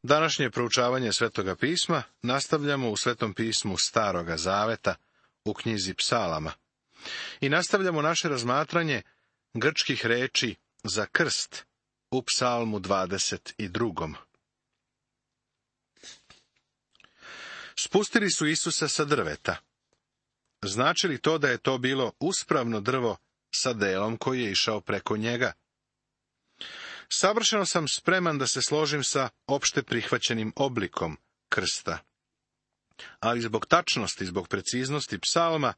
Današnje proučavanje Svetoga pisma nastavljamo u Svetom pismu Staroga zaveta, u knjizi Psalama. I nastavljamo naše razmatranje grčkih reči za krst u Psalmu 22. Spustili su Isusa sa drveta. Znači li to da je to bilo uspravno drvo sa delom koji je išao preko njega? Savršeno sam spreman da se složim sa opšte prihvaćenim oblikom krsta. Ali zbog tačnosti, zbog preciznosti psalma,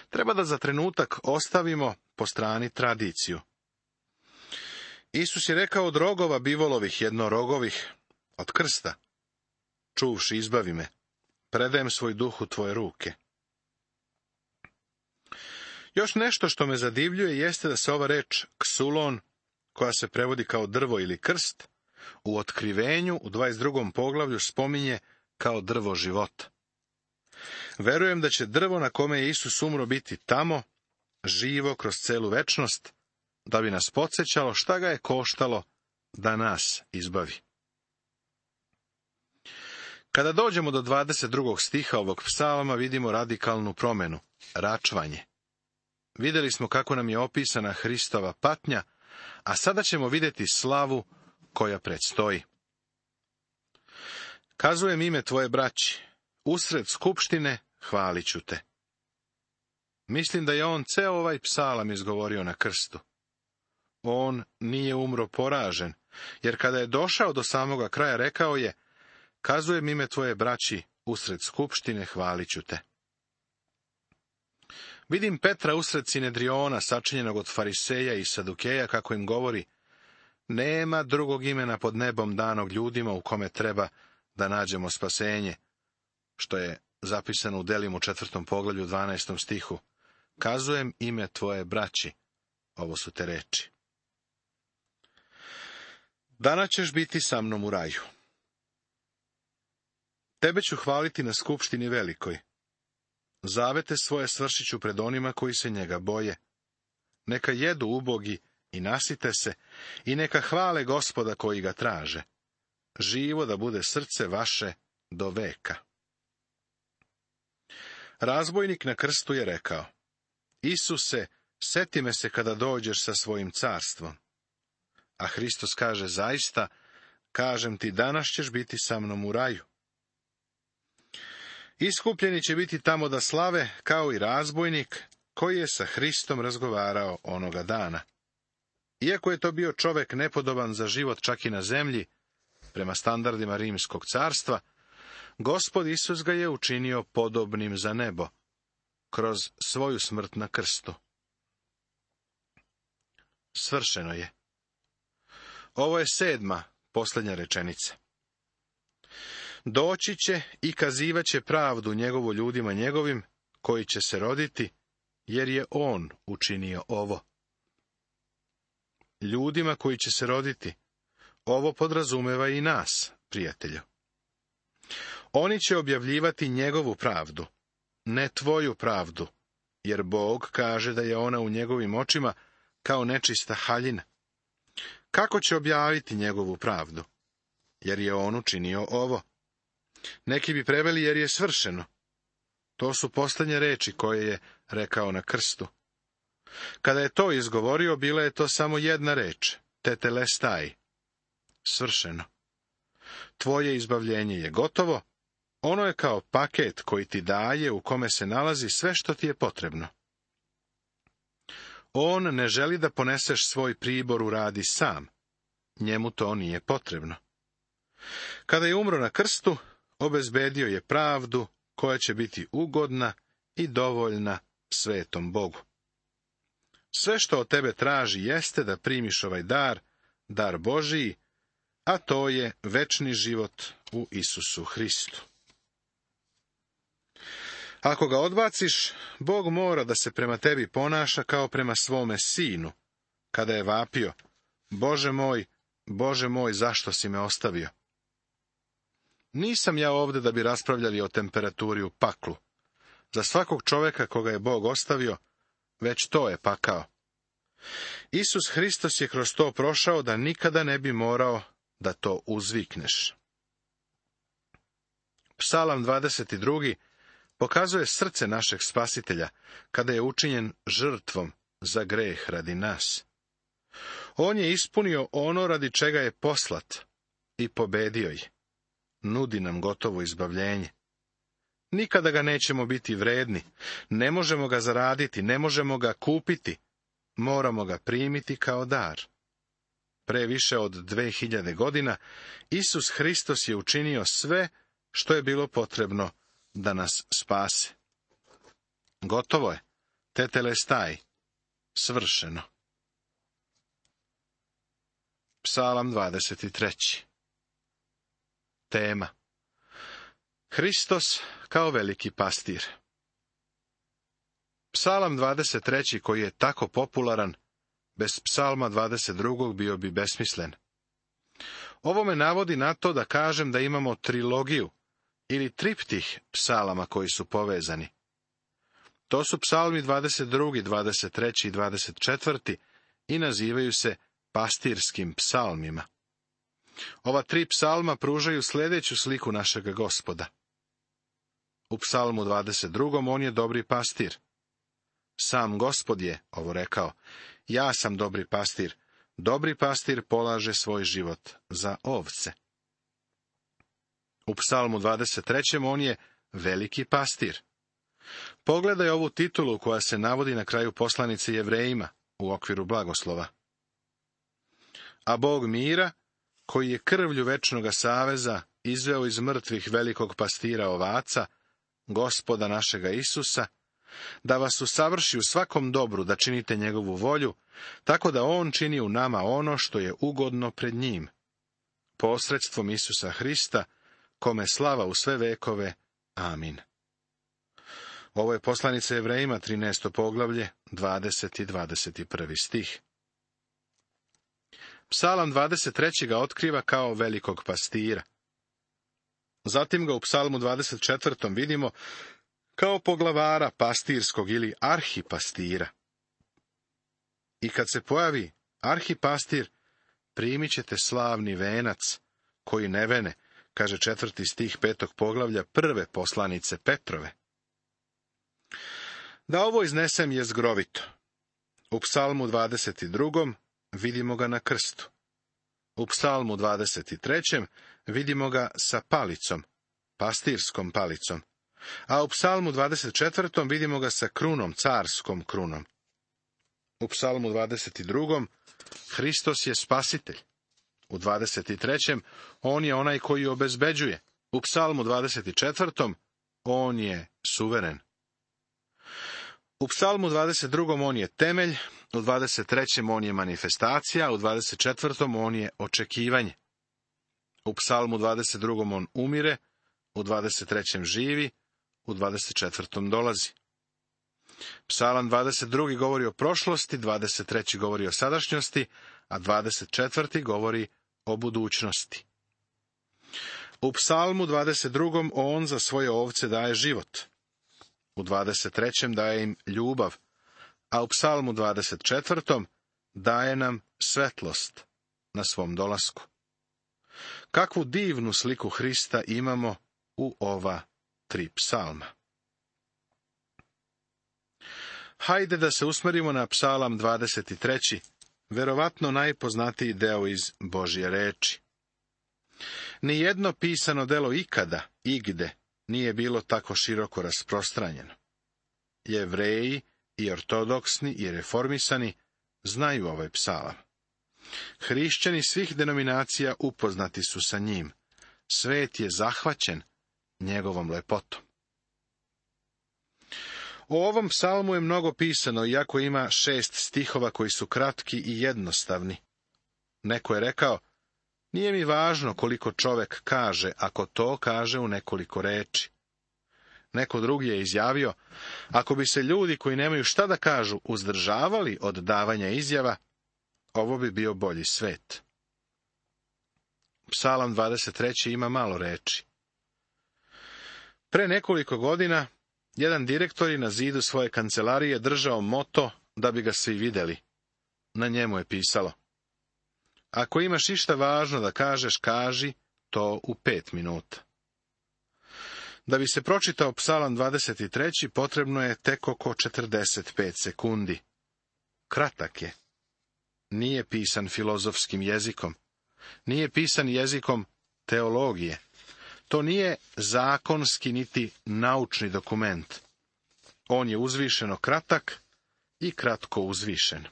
treba da za trenutak ostavimo po strani tradiciju. Isus je rekao od rogova bivolovih jednorogovih, od krsta: čuvši izbavi me, predajem svoj duh u tvoje ruke. Još nešto što me zadivljuje jeste da se ova reč ksulon, koja se prevodi kao drvo ili krst, u Otkrivenju u 22. poglavlju spominje kao drvo života. Verujem da će drvo na kome je Isus umro biti tamo, živo kroz celu večnost, da bi nas podsjećalo šta ga je koštalo da nas izbavi. Kada dođemo do 22. stiha ovog psalma, vidimo radikalnu promenu, račvanje. Vidjeli smo kako nam je opisana Hristova patnja, a sada ćemo vidjeti slavu koja predstoji. Kazujem ime tvoje braći, usred skupštine hvalit ću te. Mislim da je on ceo ovaj psalam izgovorio na krstu. On nije umro poražen, jer kada je došao do samoga kraja rekao je: kazujem ime tvoje braći, usred skupštine hvalit ću te. Vidim Petra usred Sinedriona, sačinjenog od fariseja i sadukeja, kako im govori: nema drugog imena pod nebom danog ljudima u kome treba da nađemo spasenje, što je zapisano u Delima u 4. poglavlju 12. stihu. Kazujem ime tvoje braći. Ovo su te reči. Danas ćeš biti sa mnom u raju. Tebe ću hvaliti na skupštini velikoj. Zavete svoje svršit ću pred onima koji se njega boje. Neka jedu ubogi i nasite se, i neka hvale Gospoda koji ga traže. Živo da bude srce vaše do veka. Razbojnik na krstu je rekao: Isuse, seti me se kada dođeš sa svojim carstvom. A Hristos kaže: zaista, kažem ti, danas ćeš biti sa mnom u raju. Iskupljeni će biti tamo da slave, kao i razbojnik koji je sa Hristom razgovarao onoga dana. Iako je to bio čovek nepodoban za život čak i na zemlji, prema standardima Rimskog carstva, Gospod Isus ga je učinio podobnim za nebo, kroz svoju smrt na krstu. Svršeno je. Ovo je 7. posljednja rečenica. Doći će i kazivat će pravdu njegovu ljudima njegovim, koji će se roditi, jer je on učinio ovo. Ljudima koji će se roditi, ovo podrazumeva i nas, prijatelju. Oni će objavljivati njegovu pravdu, ne tvoju pravdu, jer Bog kaže da je ona u njegovim očima kao nečista haljina. Kako će objaviti njegovu pravdu? Jer je on učinio ovo. Neki bi preveli jer je svršeno. To su posljednje reči koje je rekao na krstu. Kada je to izgovorio, bila je to samo jedna reč, tetelestai, svršeno. Tvoje izbavljenje je gotovo, ono je kao paket koji ti daje, u kome se nalazi sve što ti je potrebno. On ne želi da poneseš svoj pribor u radi sam, njemu to nije potrebno. Kada je umro na krstu, obezbedio je pravdu koja će biti ugodna i dovoljna svetom Bogu. Sve što od tebe traži jeste da primiš ovaj dar Božiji, a to je večni život u Isusu Hristu. Ako ga odbaciš, Bog mora da se prema tebi ponaša kao prema svome sinu, kada je vapio: Bože moj, zašto si me ostavio? Nisam ja ovdje da bi raspravljali o temperaturi u paklu. Za svakog čovjeka koga je Bog ostavio, već to je pakao. Isus Hristos je kroz to prošao da nikada ne bi morao da to uzvikneš. Psalam 22. pokazuje srce našeg spasitelja, kada je učinjen žrtvom za greh radi nas. On je ispunio ono radi čega je poslat i pobedio je. Nudi nam gotovo izbavljenje. Nikada ga nećemo biti vredni, ne možemo ga zaraditi, ne možemo ga kupiti, moramo ga primiti kao dar. Pre više od 2000 godina Isus Hristos je učinio sve što je bilo potrebno da nas spase. Gotovo je, tetelestai, svršeno. Psalam 23. Tema: Hristos kao veliki pastir. Psalam 23. koji je tako popularan, bez psalma 22. bio bi besmislen. Ovo me navodi na to da kažem da imamo trilogiju ili triptih psalama koji su povezani. To su psalmi 22., 23. i 24. i nazivaju se pastirskim psalmima. Ova tri psalma pružaju sljedeću sliku našega Gospoda. U psalmu 22. on je dobri pastir. Sam Gospod je ovo rekao: ja sam dobri pastir polaže svoj život za ovce. U psalmu 23. on je veliki pastir. Pogledaj ovu titulu koja se navodi na kraju poslanice Jevrejima u okviru blagoslova. A Bog mira, koji je krvlju večnoga saveza izveo iz mrtvih velikog pastira ovaca, Gospoda našega Isusa, da vas usavrši u svakom dobru, da činite njegovu volju, tako da on čini u nama ono što je ugodno pred njim, posredstvom Isusa Hrista, kome slava u sve vekove. Amin. Ovo je poslanica Jevrejima, 13. poglavlje, 20. i 21. stih. Psalam 23. ga otkriva kao velikog pastira. Zatim ga u psalmu 24. vidimo kao poglavara pastirskog ili arhipastira. I kad se pojavi arhipastir, primit ćete slavni venac, koji ne vene, kaže 4. stih 5. poglavlja prve poslanice Petrove. Da ovo iznesem je zgrovito. U psalmu 22. vidimo ga na krstu. U psalmu 23. vidimo ga sa palicom, pastirskom palicom. A u psalmu 24. vidimo ga sa krunom, carskom krunom. U psalmu 22. Hristos je spasitelj. U 23. on je onaj koji obezbeđuje. U psalmu 24. on je suveren. U psalmu 22. on je temelj, u 23. on je manifestacija, u 24. on je očekivanje. U psalmu 22. on umire, u 23. živi, u 24. dolazi. Psalam 22. govori o prošlosti, 23. govori o sadašnjosti, a 24. govori o budućnosti. U psalmu 22. on za svoje ovce daje život. U 23. daje im ljubav, a u psalmu 24. daje nam svetlost na svom dolasku. Kakvu divnu sliku Hrista imamo u ova tri psalma. Hajde da se usmerimo na psalam 23. verovatno najpoznatiji deo iz Božje reči. Nijedno pisano delo ikada, igde, nije bilo tako široko rasprostranjeno. Jevreji i ortodoksni i reformisani znaju ovaj psalam. Hrišćani svih denominacija upoznati su sa njim. Svet je zahvaćen njegovom lepotom. O ovom psalmu je mnogo pisano, iako ima 6 stihova koji su kratki i jednostavni. Neko je rekao: nije mi važno koliko čovek kaže, ako to kaže u nekoliko reči. Neko drugi je izjavio: ako bi se ljudi koji nemaju šta da kažu uzdržavali od davanja izjava, ovo bi bio bolji svet. Psalam 23. ima malo reči. Pre nekoliko godina jedan direktor je na zidu svoje kancelarije držao moto da bi ga svi videli. Na njemu je pisalo: ako imaš išta važno da kažeš, kaži to u 5 minuta. Da bi se pročitao Psalam 23. potrebno je tek oko 45 sekundi. Kratak je. Nije pisan filozofskim jezikom. Nije pisan jezikom teologije. To nije zakonski niti naučni dokument. On je uzvišeno kratak i kratko uzvišen.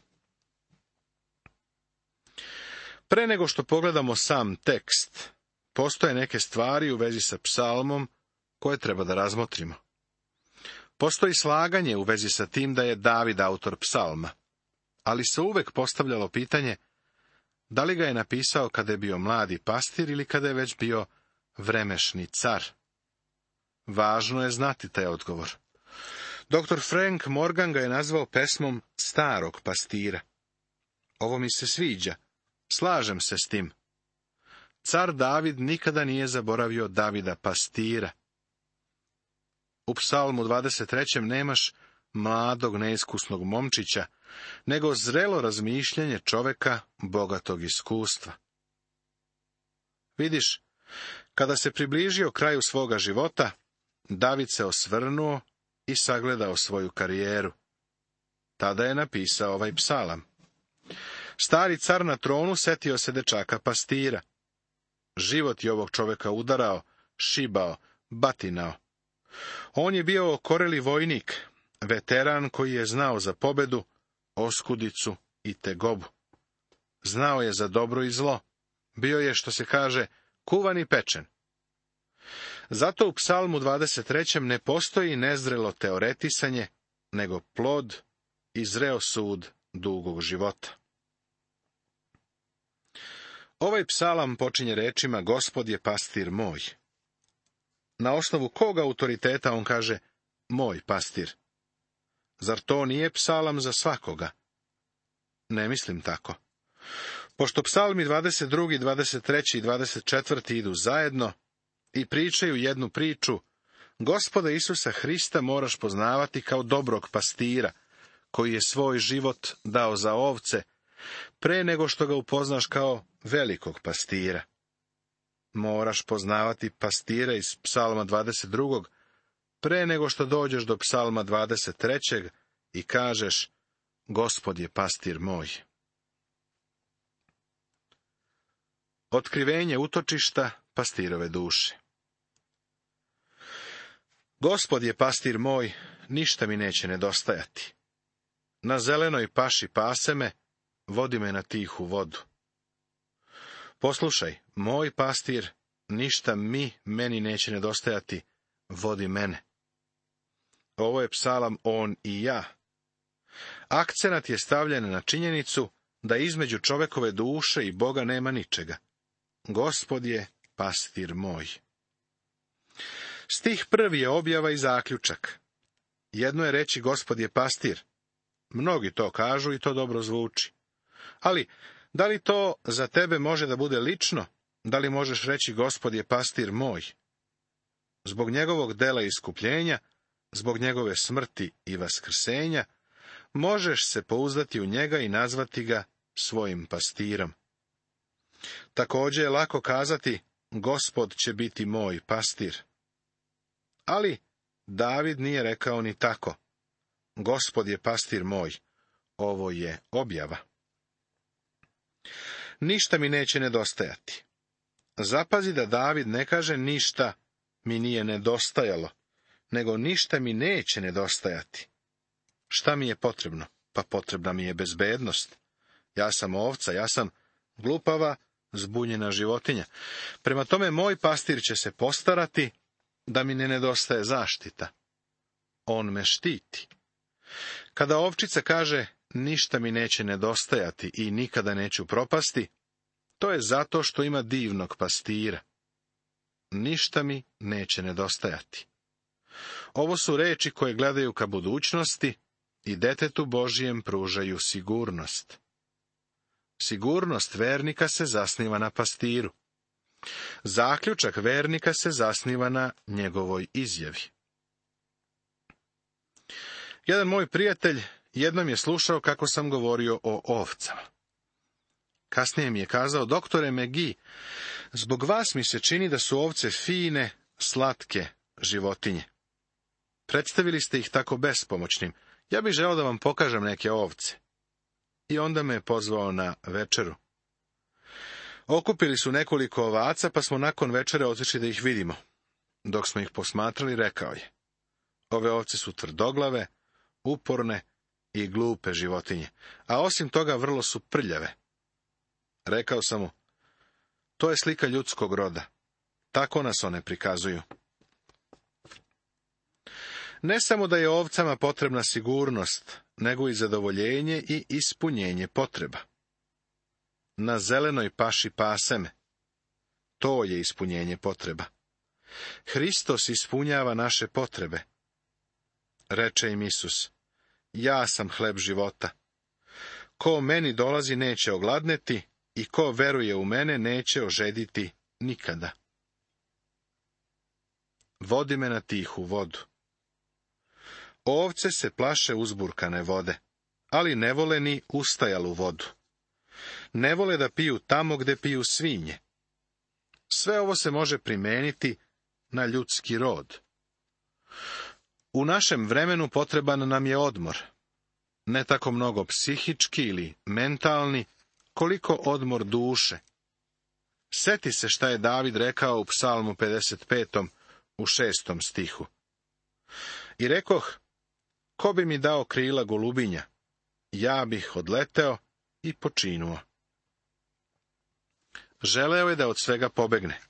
Pre nego što pogledamo sam tekst, postoje neke stvari u vezi sa psalmom koje treba da razmotrimo. Postoji slaganje u vezi sa tim da je David autor psalma, ali se uvek postavljalo pitanje da li ga je napisao kada je bio mladi pastir ili kada je već bio vremešni car. Važno je znati taj odgovor. Dr. Frank Morgan ga je nazvao pesmom starog pastira. Ovo mi se sviđa. Slažem se s tim. Car David nikada nije zaboravio Davida pastira. U Psalmu 23. nemaš mladog neiskusnog momčića, nego zrelo razmišljanje čoveka bogatog iskustva. Vidiš, kada se približio kraju svoga života, David se osvrnuo i sagledao svoju karijeru. Tada je napisao ovaj psalam. Stari car na tronu setio se dečaka pastira. Život je ovog čoveka udarao, šibao, batinao. On je bio okoreli vojnik, veteran koji je znao za pobedu, oskudicu i tegobu. Znao je za dobro i zlo. Bio je, što se kaže, kuvan i pečen. Zato u Psalmu 23. ne postoji nezrelo teoretisanje, nego plod i zreo sud dugog života. Ovaj psalam počinje rečima Gospod je pastir moj. Na osnovu kog autoriteta on kaže moj pastir? Zar to nije psalam za svakoga? Ne mislim tako. Pošto psalmi 22., 23. i 24. idu zajedno i pričaju jednu priču, Gospoda Isusa Hrista moraš poznavati kao dobrog pastira, koji je svoj život dao za ovce, pre nego što ga upoznaš kao velikog pastira. Moraš poznavati pastira iz psalma 22. pre nego što dođeš do psalma 23. i kažeš, Gospod je pastir moj. Otkrivenje utočišta pastirove duše. Gospod je pastir moj, ništa mi neće nedostajati. Na zelenoj paši pase me, vodi me na tihu vodu. Poslušaj, moj pastir, ništa meni neće nedostajati, vodi mene. Ovo je psalam on i ja. Akcenat je stavljen na činjenicu da između čovekove duše i Boga nema ničega. Gospod je pastir moj. Stih 1. je objava i zaključak. Jedno je reći Gospod je pastir. Mnogi to kažu i to dobro zvuči. Ali, da li to za tebe može da bude lično? Da li možeš reći Gospod je pastir moj? Zbog njegovog dela iskupljenja, zbog njegove smrti i vaskrsenja, možeš se pouzdati u njega i nazvati ga svojim pastirom. Također je lako kazati, Gospod će biti moj pastir. Ali David nije rekao ni tako. Gospod je pastir moj. Ovo je objava. Ništa mi neće nedostajati. Zapazi da David ne kaže ništa mi nije nedostajalo, nego ništa mi neće nedostajati. Šta mi je potrebno? Pa potrebna mi je bezbednost. Ja sam ovca, ja sam glupava, zbunjena životinja. Prema tome moj pastir će se postarati da mi ne nedostaje zaštita. On me štiti. Kada ovčica kaže ništa mi neće nedostajati i nikada neću propasti, to je zato što ima divnog pastira. Ništa mi neće nedostajati. Ovo su reči koje gledaju ka budućnosti i detetu Božijem pružaju sigurnost. Sigurnost vernika se zasniva na pastiru. Zaključak vernika se zasniva na njegovoj izjavi. Jedan moj prijatelj jednom je slušao kako sam govorio o ovcama. Kasnije mi je kazao, doktore McGee, zbog vas mi se čini da su ovce fine, slatke, životinje. Predstavili ste ih tako bespomoćnim. Ja bih želeo da vam pokažem neke ovce. I onda me je pozvao na večeru. Okupili su nekoliko ovaca, pa smo nakon večere otišli da ih vidimo. Dok smo ih posmatrali, rekao je: ove ovce su tvrdoglave, uporne i glupe životinje, a osim toga vrlo su prljave. Rekao sam mu: to je slika ljudskog roda. Tako nas one prikazuju. Ne samo da je ovcama potrebna sigurnost, nego i zadovoljenje i ispunjenje potreba. Na zelenoj paši pase me. To je ispunjenje potreba. Hristos ispunjava naše potrebe. Reče im Isus: ja sam hleb života. Ko meni dolazi neće ogladneti i ko veruje u mene neće ožediti nikada. Vodi me na tihu vodu. Ovce se plaše uzburkane vode, ali ne vole ni ustajalu vodu. Ne vole da piju tamo gde piju svinje. Sve ovo se može primeniti na ljudski rod. U našem vremenu potreban nam je odmor. Ne tako mnogo psihički ili mentalni, koliko odmor duše. Seti se šta je David rekao u Psalmu 55. u 6. stihu. I rekoh: ko bi mi dao krila golubinja, ja bih odleteo i počinuo. Želeo je da od svega pobegne,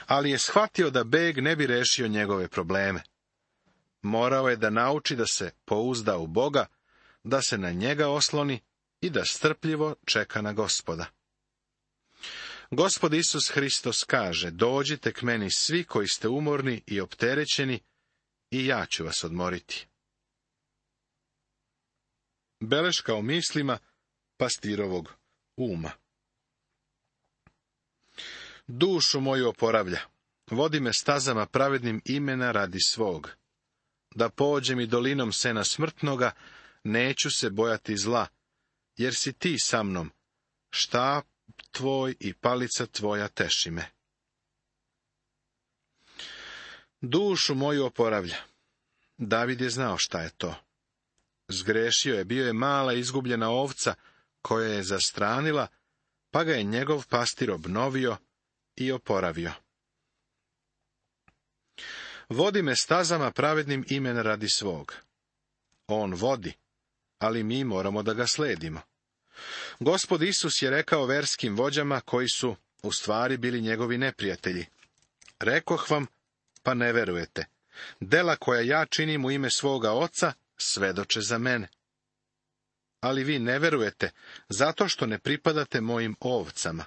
ali je shvatio da beg ne bi rešio njegove probleme. Morao je da nauči da se pouzda u Boga, da se na njega osloni i da strpljivo čeka na Gospoda. Gospod Isus Hristos kaže: dođite k meni svi koji ste umorni i opterećeni, i ja ću vas odmoriti. Beleška o mislima pastirovog uma. Dušu moju oporavlja, vodi me stazama pravednim imena radi svog. Da pođem i dolinom sena smrtnoga, neću se bojati zla, jer si ti sa mnom, štap tvoj i palica tvoja teši me. Dušu moju oporavlja. David je znao šta je to. Zgrešio je, bio je mala izgubljena ovca koja je zastranila, pa ga je njegov pastir obnovio i oporavio. Vodi me stazama pravednim imena radi svog. On vodi, ali mi moramo da ga sledimo. Gospod Isus je rekao verskim vođama koji su u stvari bili njegovi neprijatelji: rekoh vam, pa ne verujete. Dela koja ja činim u ime svoga Oca svedoče za mene. Ali vi ne verujete, zato što ne pripadate mojim ovcama.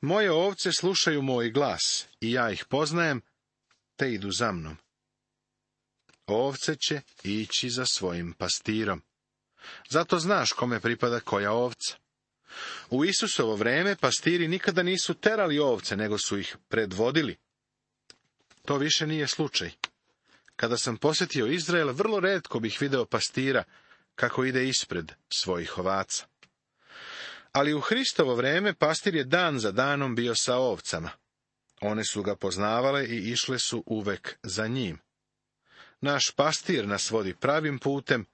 Moje ovce slušaju moj glas, i ja ih poznajem, te idu za mnom. Ovce će ići za svojim pastirom. Zato znaš kome pripada koja ovca. U Isusovo vreme pastiri nikada nisu terali ovce, nego su ih predvodili. To više nije slučaj. Kada sam posjetio Izrael, vrlo retko bih video pastira kako ide ispred svojih ovaca. Ali u Hristovo vreme pastir je dan za danom bio sa ovcama. One su ga poznavale i išle su uvek za njim. Naš pastir nas vodi pravim putem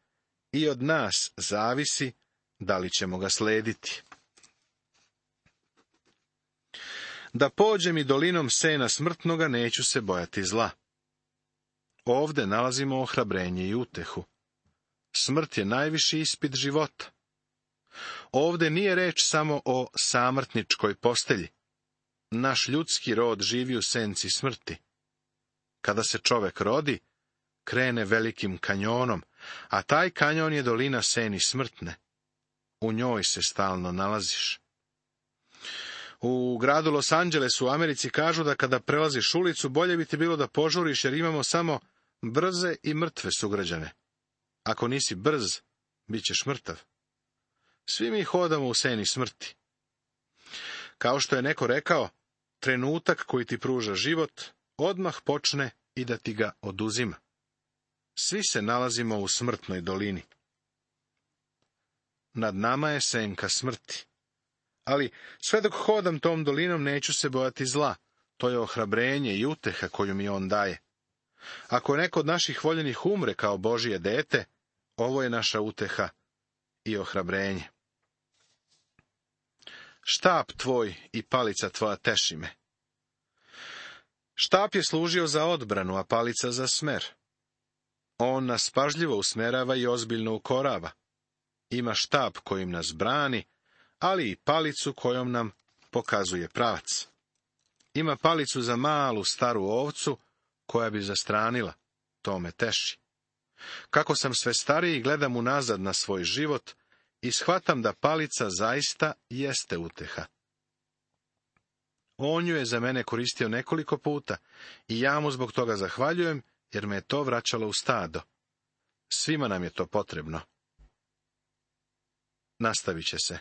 i od nas zavisi da li ćemo ga slediti. Da pođem i dolinom sena smrtnoga, neću se bojati zla. Ovde nalazimo ohrabrenje i utehu. Smrt je najviši ispit života. Ovde nije reč samo o samrtničkoj postelji. Naš ljudski rod živi u senci smrti. Kada se čovek rodi, krene velikim kanjonom, a taj kanjon je dolina seni smrtne. U njoj se stalno nalaziš. U gradu Los Angelesu u Americi kažu da kada prelaziš ulicu, bolje bi ti bilo da požuriš, jer imamo samo brze i mrtve sugrađane. Ako nisi brz, bit ćeš mrtav. Svi mi hodamo u seni smrti. Kao što je neko rekao, trenutak koji ti pruža život, odmah počne i da ti ga oduzima. Svi se nalazimo u smrtnoj dolini. Nad nama je senka smrti. Ali sve dok hodam tom dolinom neću se bojati zla. To je ohrabrenje i uteha koju mi on daje. Ako neko od naših voljenih umre kao Božje dete, ovo je naša uteha i ohrabrenje. Štap tvoj i palica tvoja teši me. Štap je služio za odbranu, a palica za smer. On nas pažljivo usmerava i ozbiljno ukorava. Ima štap kojim nas brani, ali i palicu kojom nam pokazuje pravac. Ima palicu za malu staru ovcu koja bi zastranila. To me teši. Kako sam sve stariji, gledam unazad na svoj život i shvatam da palica zaista jeste uteha. On ju je za mene koristio nekoliko puta i ja mu zbog toga zahvaljujem, jer me je to vraćalo u stado. Svima nam je to potrebno. Nastavit će se.